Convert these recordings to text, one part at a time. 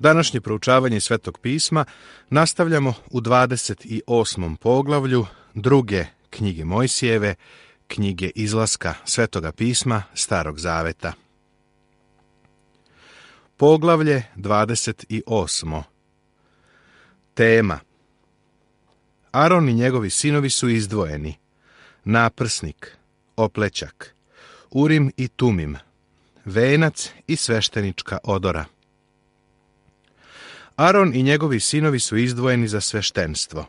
Današnje proučavanje Svetog pisma nastavljamo u 28. poglavlju druge knjige Mojsijeve, knjige Izlaska Svetoga pisma Starog zaveta. Poglavlje 28. Tema: Aron i njegovi sinovi su izdvojeni. Naprsnik, oplećak, Urim i Tumim, venac i sveštenička odora. Aron i njegovi sinovi su izdvojeni za sveštenstvo.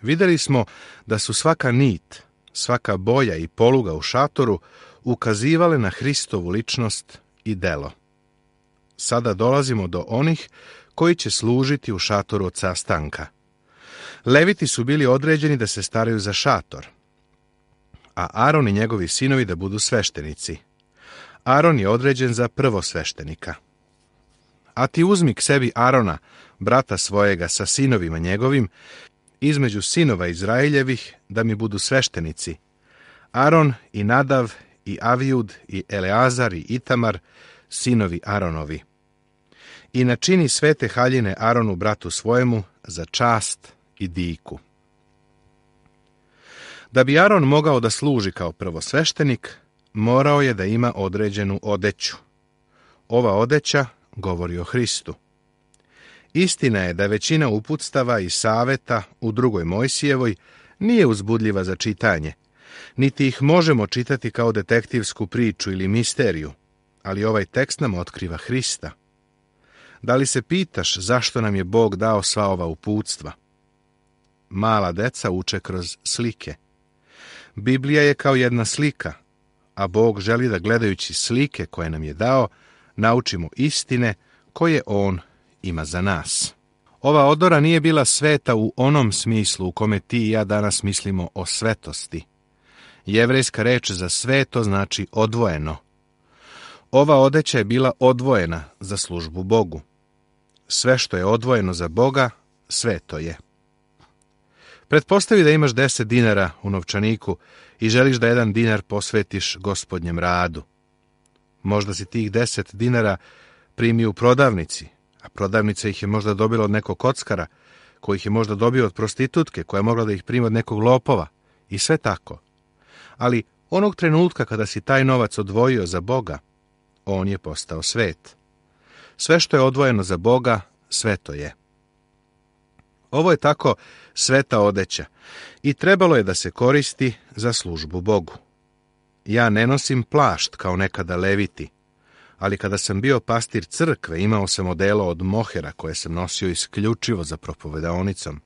Vidjeli smo da su svaka nit, svaka boja i poluga u šatoru ukazivale na Hristovu ličnost i delo. Sada dolazimo do onih koji će služiti u šatoru od sastanka. Leviti su bili određeni da se staraju za šator, a Aron i njegovi sinovi da budu sveštenici. Aron je određen za prvosveštenika. A ti uzmi k sebi Arona, brata svojega, sa sinovima njegovim, između sinova Izraeljevih, da mi budu sveštenici. Aron i Nadav i Avijud i Eleazar i Itamar, sinovi Aronovi. I načini svete haljine Aronu, bratu svojemu, za čast i diku. Da bi Aron mogao da služi kao prvosveštenik, morao je da ima određenu odeću. Ova odeća govori o Hristu. Istina je da većina uputstava i saveta u drugoj Mojsijevoj nije uzbudljiva za čitanje, niti ih možemo čitati kao detektivsku priču ili misteriju, ali ovaj tekst nam otkriva Hrista. Da li se pitaš zašto nam je Bog dao sva ova uputstva? Mala deca uče kroz slike. Biblija je kao jedna slika, a Bog želi da gledajući slike koje nam je dao, naučimo istine koje On ima za nas. Ova odora nije bila sveta u onom smislu u kome ti i ja danas mislimo o svetosti. Jevrejska reč za sveto znači odvojeno. Ova odeća je bila odvojena za službu Bogu. Sve što je odvojeno za Boga, sveto je. Pretpostavi da imaš 10 dinara u novčaniku i želiš da 1 dinar posvetiš Gospodnjem radu. Možda si tih 10 dinara primio u prodavnici, a prodavnica ih je možda dobila od nekog kockara, koji ih je možda dobio od prostitutke, koja je mogla da ih prima od nekog lopova, i sve tako. Ali onog trenutka kada si taj novac odvojio za Boga, on je postao svet. Sve što je odvojeno za Boga, sveto je. Ovo je tako sveta odeća i trebalo je da se koristi za službu Bogu. Ja ne nosim plašt kao nekada leviti, ali kada sam bio pastir crkve, imao sam odelo od mohera koje sam nosio isključivo za propovedaonicom.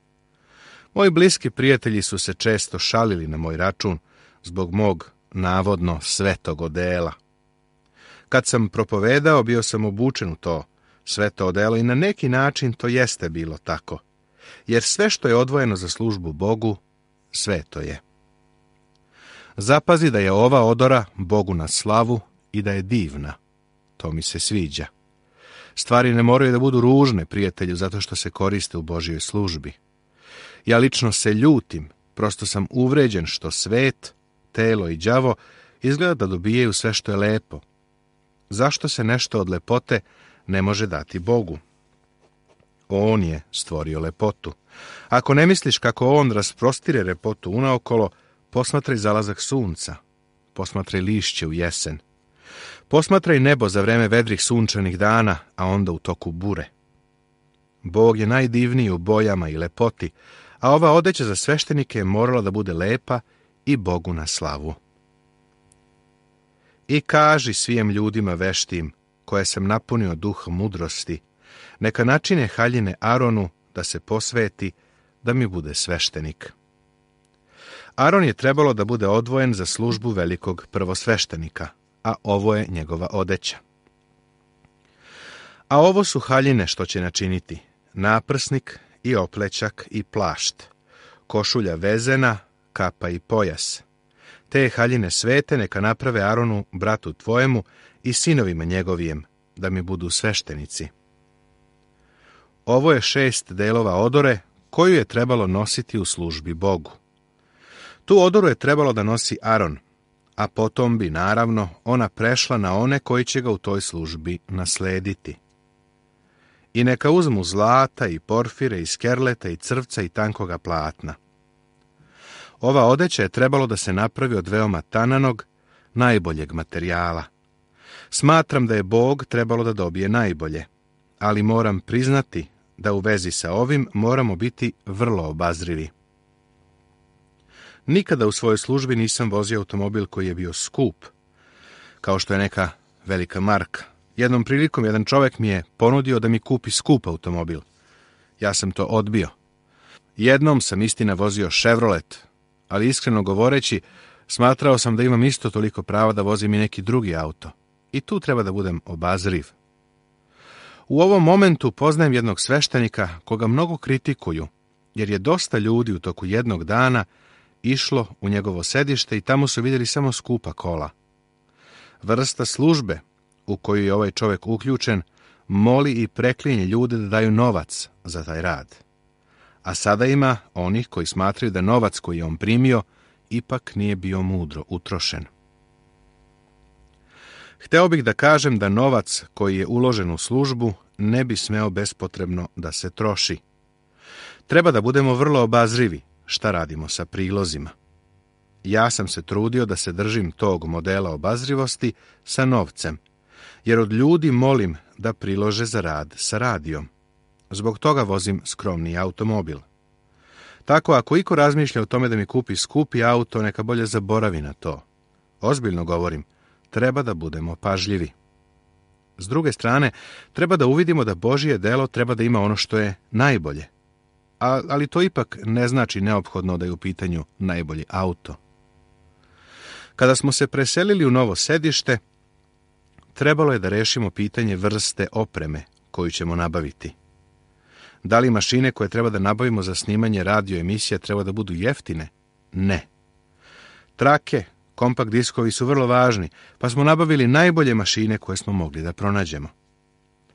Moji bliski prijatelji su se često šalili na moj račun zbog mog navodno svetog odela. Kad sam propovedao, bio sam obučen u to sveto odelo i na neki način to jeste bilo tako, jer sve što je odvojeno za službu Bogu, sveto je. Zapazi da je ova odora Bogu na slavu i da je divna. To mi se sviđa. Stvari ne moraju da budu ružne, prijatelju, zato što se koriste u Božjoj službi. Ja lično se ljutim, prosto sam uvređen što svet, telo i đavo izgleda da dobijaju sve što je lepo. Zašto se nešto od lepote ne može dati Bogu? On je stvorio lepotu. Ako ne misliš kako On rasprostire lepotu unaokolo, posmatraj zalazak sunca, posmatraj lišće u jesen. Posmatraj nebo za vreme vedrih sunčanih dana, a onda u toku bure. Bog je najdivniji u bojama i lepoti, a ova odeća za sveštenike je morala da bude lepa i Bogu na slavu. I kaži svijem ljudima veštim, koje sam napunio duh mudrosti, neka načine haljine Aronu da se posveti, da mi bude sveštenik. Aron je trebalo da bude odvojen za službu velikog prvosveštenika, a ovo je njegova odeća. A ovo su haljine što će načiniti: naprsnik i oplećak i plašt, košulja vezena, kapa i pojas. Te haljine svete neka naprave Aronu, bratu tvojemu, i sinovima njegovijem, da mi budu sveštenici. Ovo je 6 delova odore koju je trebalo nositi u službi Bogu. Tu odoru je trebalo da nosi Aron, a potom bi, naravno, ona prešla na one koji će ga u toj službi naslediti. I neka uzmu zlata i porfire i skerleta i crvca i tankoga platna. Ova odeća je trebalo da se napravi od veoma tananog, najboljeg materijala. Smatram da je Bog trebalo da dobije najbolje, ali moram priznati da u vezi sa ovim moramo biti vrlo obazrivi. Nikada u svojoj službi nisam vozio automobil koji je bio skup, kao što je neka velika marka. Jednom prilikom jedan čovjek mi je ponudio da mi kupi skup automobil. Ja sam to odbio. Jednom sam istina vozio Chevrolet, ali iskreno govoreći, smatrao sam da imam isto toliko prava da vozim i neki drugi auto. I tu treba da budem obazriv. U ovom momentu poznajem jednog sveštenika koga mnogo kritikuju, jer je dosta ljudi u toku jednog dana išlo u njegovo sedište i tamo su vidjeli samo skupa kola. Vrsta službe u koju je ovaj čovjek uključen moli i preklinje ljude da daju novac za taj rad. A sada ima onih koji smatraju da novac koji je on primio ipak nije bio mudro utrošen. Hteo bih da kažem da novac koji je uložen u službu ne bi smeo bespotrebno da se troši. Treba da budemo vrlo obazrivi šta radimo sa prilozima. Ja sam se trudio da se držim tog modela obazrivosti sa novcem, jer od ljudi molim da prilože za rad sa radijom. Zbog toga vozim skromni automobil. Tako ako iko razmišlja o tome da mi kupi skupi auto, neka bolje zaboravi na to. Ozbiljno govorim, treba da budemo pažljivi. S druge strane, treba da uvidimo da Božje delo treba da ima ono što je najbolje. Ali to ipak ne znači neophodno da je u pitanju najbolji auto. Kada smo se preselili u novo sedište, trebalo je da rešimo pitanje vrste opreme koju ćemo nabaviti. Da li mašine koje treba da nabavimo za snimanje radio emisija treba da budu jeftine? Ne. Trake, kompakt diskovi su vrlo važni, pa smo nabavili najbolje mašine koje smo mogli da pronađemo.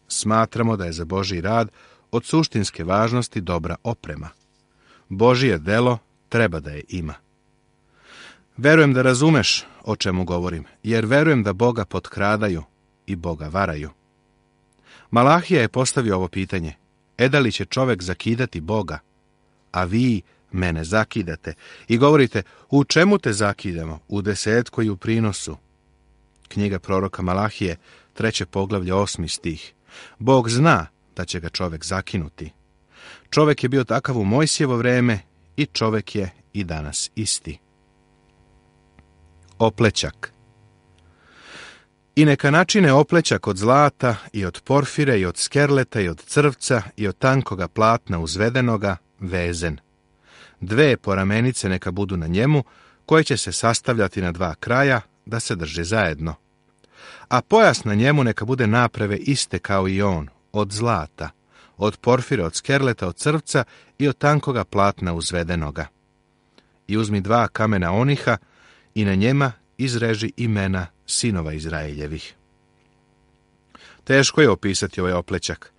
Smatramo da je za Božji rad od suštinske važnosti dobra oprema. Božje delo treba da je ima. Verujem da razumeš o čemu govorim, jer verujem da Boga potkradaju i Boga varaju. Malahija je postavio ovo pitanje: da li će čovek zakidati Boga? A vi mene zakidate i govorite: u čemu te zakidamo? U desetku i u prinosu. Knjiga proroka Malahije, 3. poglavlje, 8. stih. Bog zna da će ga čovek zakinuti. Čovek je bio takav u Mojsijevo vreme i čovek je i danas isti. Oplećak. I neka načine oplećak od zlata i od porfire i od skerleta i od crvca i od tankoga platna uzvedenoga, vezen. 2 poramenice neka budu na njemu, koje će se sastavljati na 2 kraja da se drže zajedno. A pojas na njemu neka bude naprave iste kao i on, od zlata, od porfire, od skerleta, od crvca i od tankoga platna uzvedenoga. I uzmi 2 kamena oniha i na njema izreži imena sinova Izraeljevih. Teško je opisati ovaj oplećak.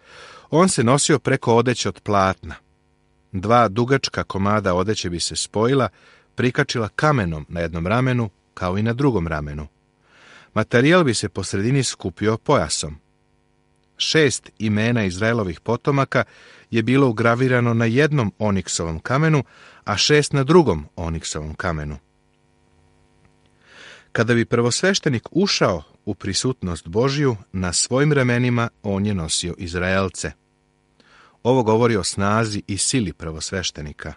On se nosio preko odeće od platna. 2 dugačka komada odeće bi se spojila, prikačila kamenom na jednom ramenu kao i na drugom ramenu. Materijal bi se po sredini skupio pojasom. 6 imena Izraelovih potomaka je bilo ugravirano na jednom oniksovom kamenu, a 6 na drugom oniksovom kamenu. Kada bi prvosveštenik ušao u prisutnost Božju, na svojim ramenima on je nosio Izraelce. Ovo govori o snazi i sili prvosveštenika.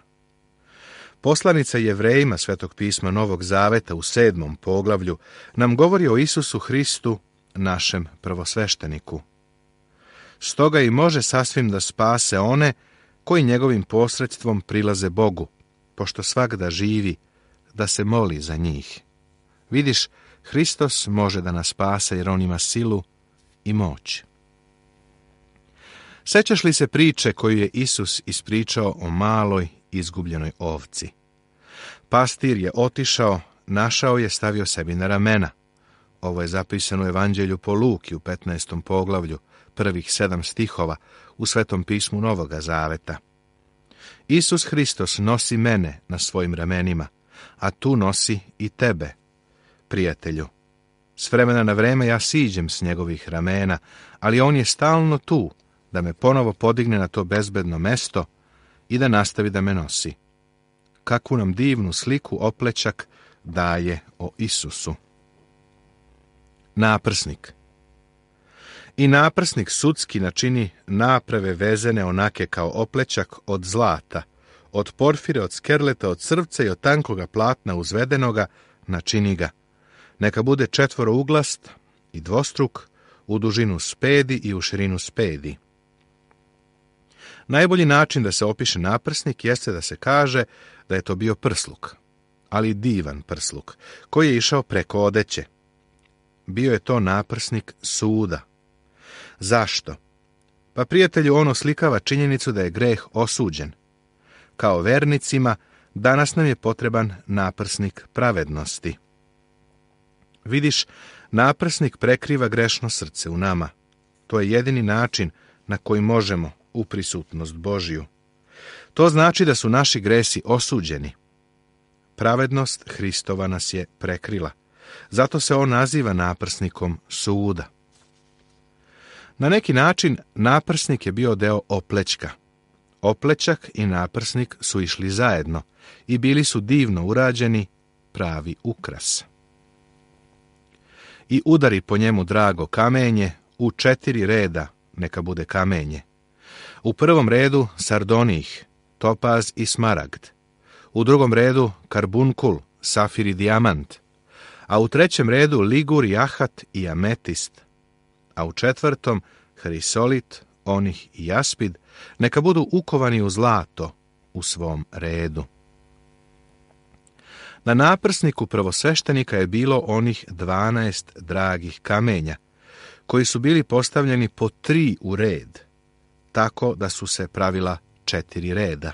Poslanica Jevrejima Svetog pisma Novog Zaveta u 7. poglavlju nam govori o Isusu Hristu, našem prvosvešteniku. Stoga i može sasvim da spase one koji njegovim posredstvom prilaze Bogu, pošto svak da živi, da se moli za njih. Vidiš, Hristos može da nas spase jer on ima silu i moć. Sećaš li se priče koju je Isus ispričao o maloj izgubljenoj ovci? Pastir je otišao, našao je, stavio sebi na ramena. Ovo je zapisano u Evanđelju po Luki u 15. poglavlju, prvih 7 stihova u Svetom pismu Novoga Zaveta. Isus Hristos nosi mene na svojim ramenima, a tu nosi i tebe, prijatelju. S vremena na vreme ja siđem s njegovih ramena, ali on je stalno tu, da me ponovo podigne na to bezbedno mesto i da nastavi da me nosi. Kakvu nam divnu sliku oplećak daje o Isusu. Naprsnik. I naprsnik sudski načini naprave vezene onake kao oplećak od zlata, od porfire, od skerleta, od crvca i od tankoga platna uzvedenoga, načini ga. Neka bude četvorouglast i dvostruk, u dužinu spedi i u širinu spedi. Najbolji način da se opiše naprsnik jeste da se kaže da je to bio prsluk, ali divan prsluk, koji je išao preko odeće. Bio je to naprsnik suda. Zašto? Pa, prijatelju, on oslikava činjenicu da je greh osuđen. Kao vernicima, danas nam je potreban naprsnik pravednosti. Vidiš, naprsnik prekriva grešno srce u nama. To je jedini način na koji možemo u prisutnost Božju. To znači da su naši gresi osuđeni. Pravednost Hristova nas je prekrila. Zato se on naziva naprsnikom suda. Na neki način naprsnik je bio deo oplećka. Oplećak i naprsnik su išli zajedno i bili su divno urađeni, pravi ukras. I udari po njemu drago kamenje, u 4 reda neka bude kamenje. U prvom redu sardonijh, topaz i smaragd. U drugom redu karbunkul, safir i dijamant. A u trećem redu ligur, jahat i ametist. A u četvrtom hrisolit, onih i jaspid, neka budu ukovani u zlato u svom redu. Na naprsniku prvosveštenika je bilo onih 12 dragih kamenja, koji su bili postavljeni po 3 u red, tako da su se pravila 4 reda.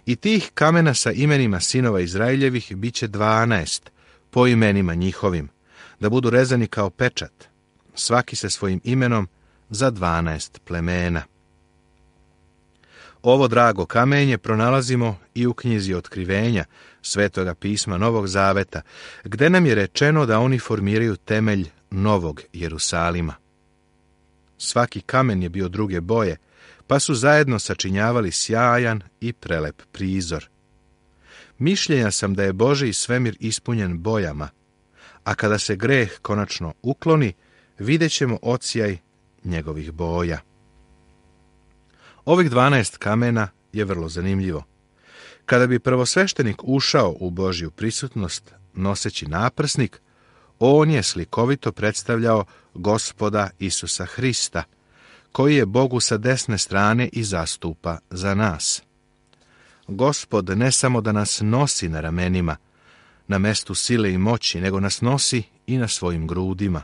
I tih kamena sa imenima sinova Izraeljevih bit će 12, po imenima njihovim, da budu rezani kao pečat, svaki se svojim imenom za 12 plemena. Ovo drago kamenje pronalazimo i u knjizi Otkrivenja, Svetoga pisma Novog Zaveta, gde nam je rečeno da oni formiraju temelj Novog Jerusalima. Svaki kamen je bio druge boje, pa su zajedno sačinjavali sjajan i prelep prizor. Mišljenja sam da je Božji svemir ispunjen bojama, a kada se greh konačno ukloni, vidjet ćemo odsjaj njegovih boja. Ovih 12 kamena je vrlo zanimljivo. Kada bi prvosveštenik ušao u Božju prisutnost noseći naprsnik, on je slikovito predstavljao Gospoda Isusa Hrista, koji je Bogu sa desne strane i zastupa za nas. Gospod ne samo da nas nosi na ramenima, na mestu sile i moći, nego nas nosi i na svojim grudima.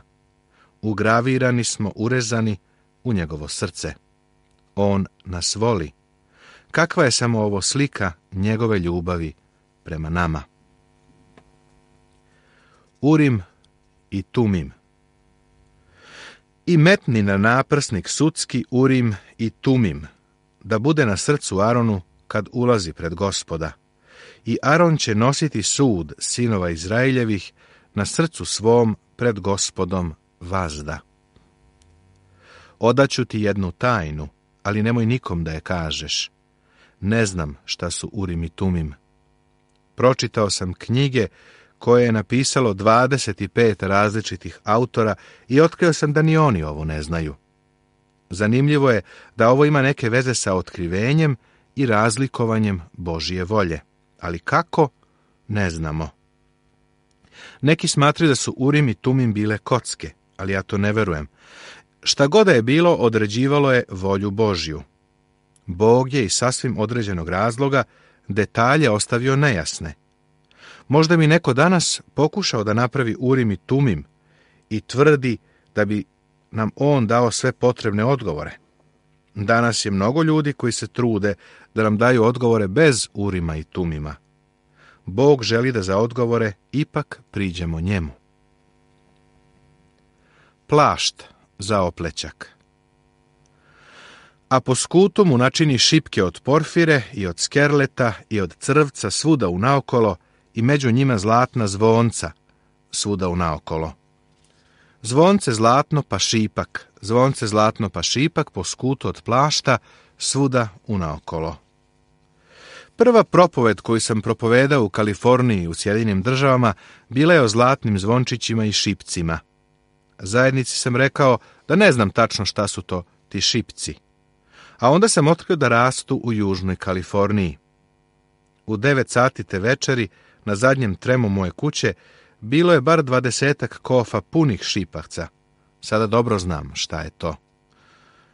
Ugravirani smo, urezani u njegovo srce. On nas voli. Kakva je samo ovo slika njegove ljubavi prema nama. Urim i Tumim. I metni na naprsnik sudski Urim i Tumim, da bude na srcu Aronu kad ulazi pred Gospoda. I Aron će nositi sud sinova Izraeljevih na srcu svom pred Gospodom vazda. Odaću ti jednu tajnu, ali nemoj nikom da je kažeš. Ne znam šta su Urim i Tumim. Pročitao sam knjige koje je napisalo 25 različitih autora i otkrio sam da ni oni ovo ne znaju. Zanimljivo je da ovo ima neke veze sa otkrivenjem i razlikovanjem Božje volje. Ali kako? Ne znamo. Neki smatraju da su Urim i Tumim bile kocke, ali ja to ne verujem. Šta god da je bilo, određivalo je volju Božju. Bog je iz sasvim određenog razloga detalje ostavio nejasne. Možda mi neko danas pokušao da napravi Urim i Tumim i tvrdi da bi nam on dao sve potrebne odgovore. Danas je mnogo ljudi koji se trude da nam daju odgovore bez Urima i Tumima. Bog želi da za odgovore ipak priđemo njemu. Plašt za oplećak. A po skutu mu načini šipke od porfire i od skerleta i od crvca svuda unaokolo i među njima zlatna zvonca svuda unaokolo. Zvonce zlatno pa šipak zvonce zlatno pa šipak po skutu od plašta, svuda unaokolo. Prva propoved koju sam propovedao u Kaliforniji u Sjedinjenim Državama bila je o zlatnim zvončićima i šipcima. Zajednici sam rekao da ne znam tačno šta su to ti šipci. A onda sam otkrio da rastu u Južnoj Kaliforniji. U 9 sati te večeri, na zadnjem tremu moje kuće, bilo je bar 20 kofa punih šipavca. Sada dobro znam šta je to.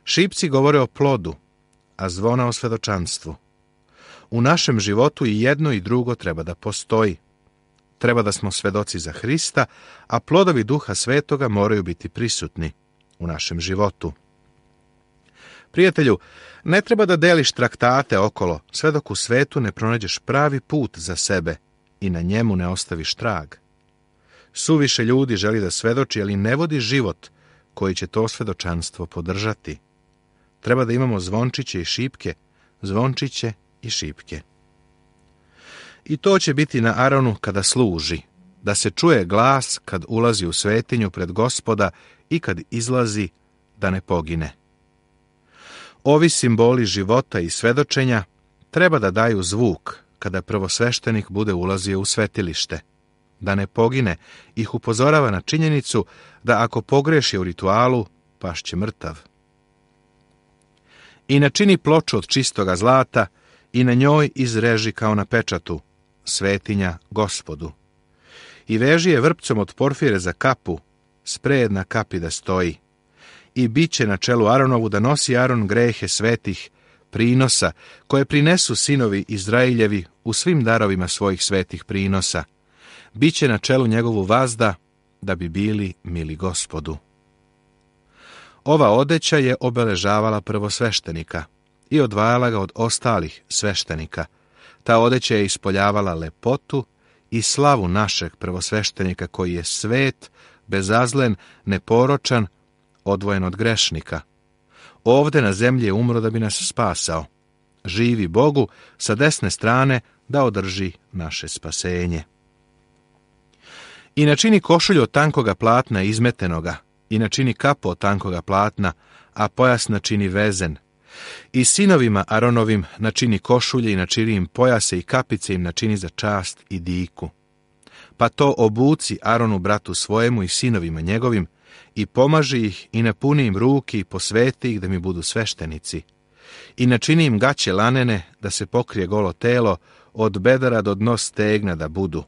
Šipci govore o plodu, a zvona o svedočanstvu. U našem životu i jedno i drugo treba da postoji. Treba da smo svedoci za Hrista, a plodovi Duha Svetoga moraju biti prisutni u našem životu. Prijatelju, ne treba da deliš traktate okolo, sve dok u svetu ne pronađeš pravi put za sebe i na njemu ne ostaviš trag. Suviše ljudi želi da svedoči, ali ne vodi život koji će to svedočanstvo podržati. Treba da imamo zvončiće i šipke, zvončiće i šipke. I to će biti na Aronu kada služi, da se čuje glas kad ulazi u svetinju pred Gospoda i kad izlazi, da ne pogine. Ovi simboli života i svedočenja treba da daju zvuk kada prvosveštenik bude ulazio u svetilište. Da ne pogine, ih upozorava na činjenicu da ako pogreši u ritualu, pašće mrtav. I načini ploču od čistoga zlata i na njoj izreži kao na pečatu svetinja Gospodu. I veži je vrpcom od porfire za kapu, spred na kapi da stoji. I bit će na čelu Aronovu da nosi Aron grehe svetih prinosa, koje prinesu sinovi Izrailjevi u svim darovima svojih svetih prinosa. Biće na čelu njegovu vazda, da bi bili mili Gospodu. Ova odeća je obeležavala prvosveštenika i odvajala ga od ostalih sveštenika. Ta odeća je ispoljavala lepotu i slavu našeg prvosveštenika koji je svet, bezazlen, neporočan, odvojen od grešnika. Ovde na zemlji je umro da bi nas spasao. Živi Bogu sa desne strane da održi naše spasenje. I načini košulju od tankoga platna izmetenoga, i načini kapu od tankoga platna, a pojas načini vezen. I sinovima Aronovim načini košulje i načini im pojase i kapice im načini za čast i diku. Pa to obuci Aronu bratu svojemu i sinovima njegovim, i pomaži ih i napuni im ruki i posveti ih da mi budu sveštenici. I načini im gaće lanene da se pokrije golo telo, od bedara do dno stegna da budu.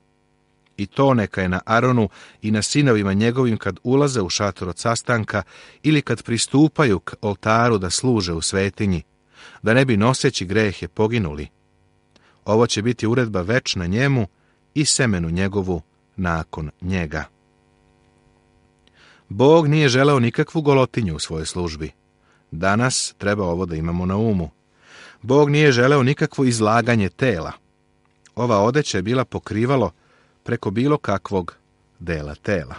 I to neka je na Aronu i na sinovima njegovim kad ulaze u šator od sastanka ili kad pristupaju k oltaru da služe u svetinji, da ne bi noseći grehe poginuli. Ovo će biti uredba večna njemu i semenu njegovu nakon njega. Bog nije želeo nikakvu golotinju u svojoj službi. Danas treba ovo da imamo na umu. Bog nije želeo nikakvo izlaganje tela. Ova odeća je bila pokrivalo preko bilo kakvog dela tela.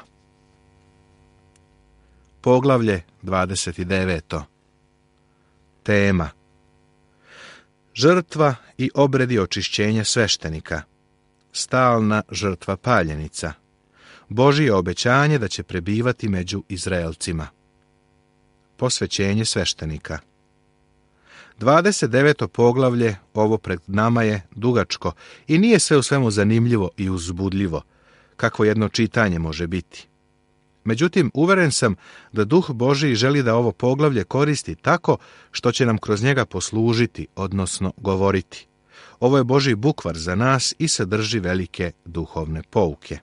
Poglavlje 29. Tema: žrtva i obredi očišćenja sveštenika. Stalna žrtva paljenica. Božje obećanje da će prebivati među Izraelcima. Posvećenje sveštenika. 29. poglavlje, ovo pred nama je dugačko i nije sve u svemu zanimljivo i uzbudljivo, kakvo jedno čitanje može biti. Međutim, uveren sam da Duh Božji želi da ovo poglavlje koristi tako što će nam kroz njega poslužiti, odnosno govoriti. Ovo je Božji bukvar za nas i sadrži velike duhovne pouke.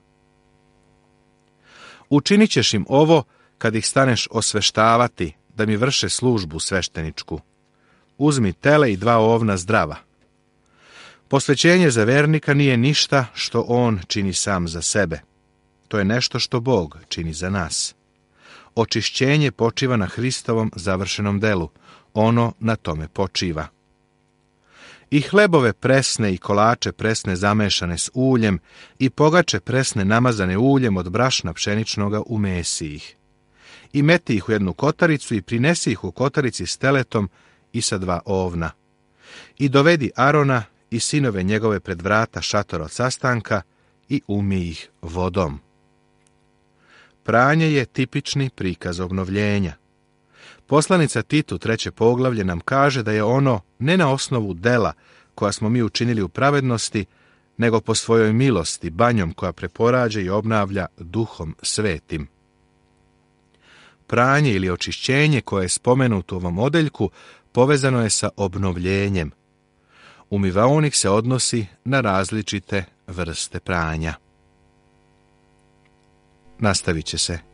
Učinit ćeš im ovo kad ih staneš osveštavati da mi vrše službu svešteničku. Uzmi tele i 2 ovna zdrava. Posvećenje za vernika nije ništa što on čini sam za sebe. To je nešto što Bog čini za nas. Očišćenje počiva na Hristovom završenom delu. Ono na tome počiva. I hlebove presne i kolače presne zamešane s uljem i pogače presne namazane uljem od brašna pšeničnoga umesi ih. I meti ih u jednu kotaricu i prinesi ih u kotarici s teletom i sa 2 ovna. I dovedi Arona i sinove njegove pred vrata šatora od sastanka i umij ih vodom. Pranje je tipični prikaz obnovljenja. Poslanica Titu, 3. poglavlje, nam kaže da je ono ne na osnovu dela koja smo mi učinili u pravednosti, nego po svojoj milosti, banjom koja preporađa i obnavlja Duhom Svetim. Pranje ili očišćenje koje je spomenuto u ovom odeljku povezano je sa obnovljenjem. Umivaonik se odnosi na različite vrste pranja. Nastavit će se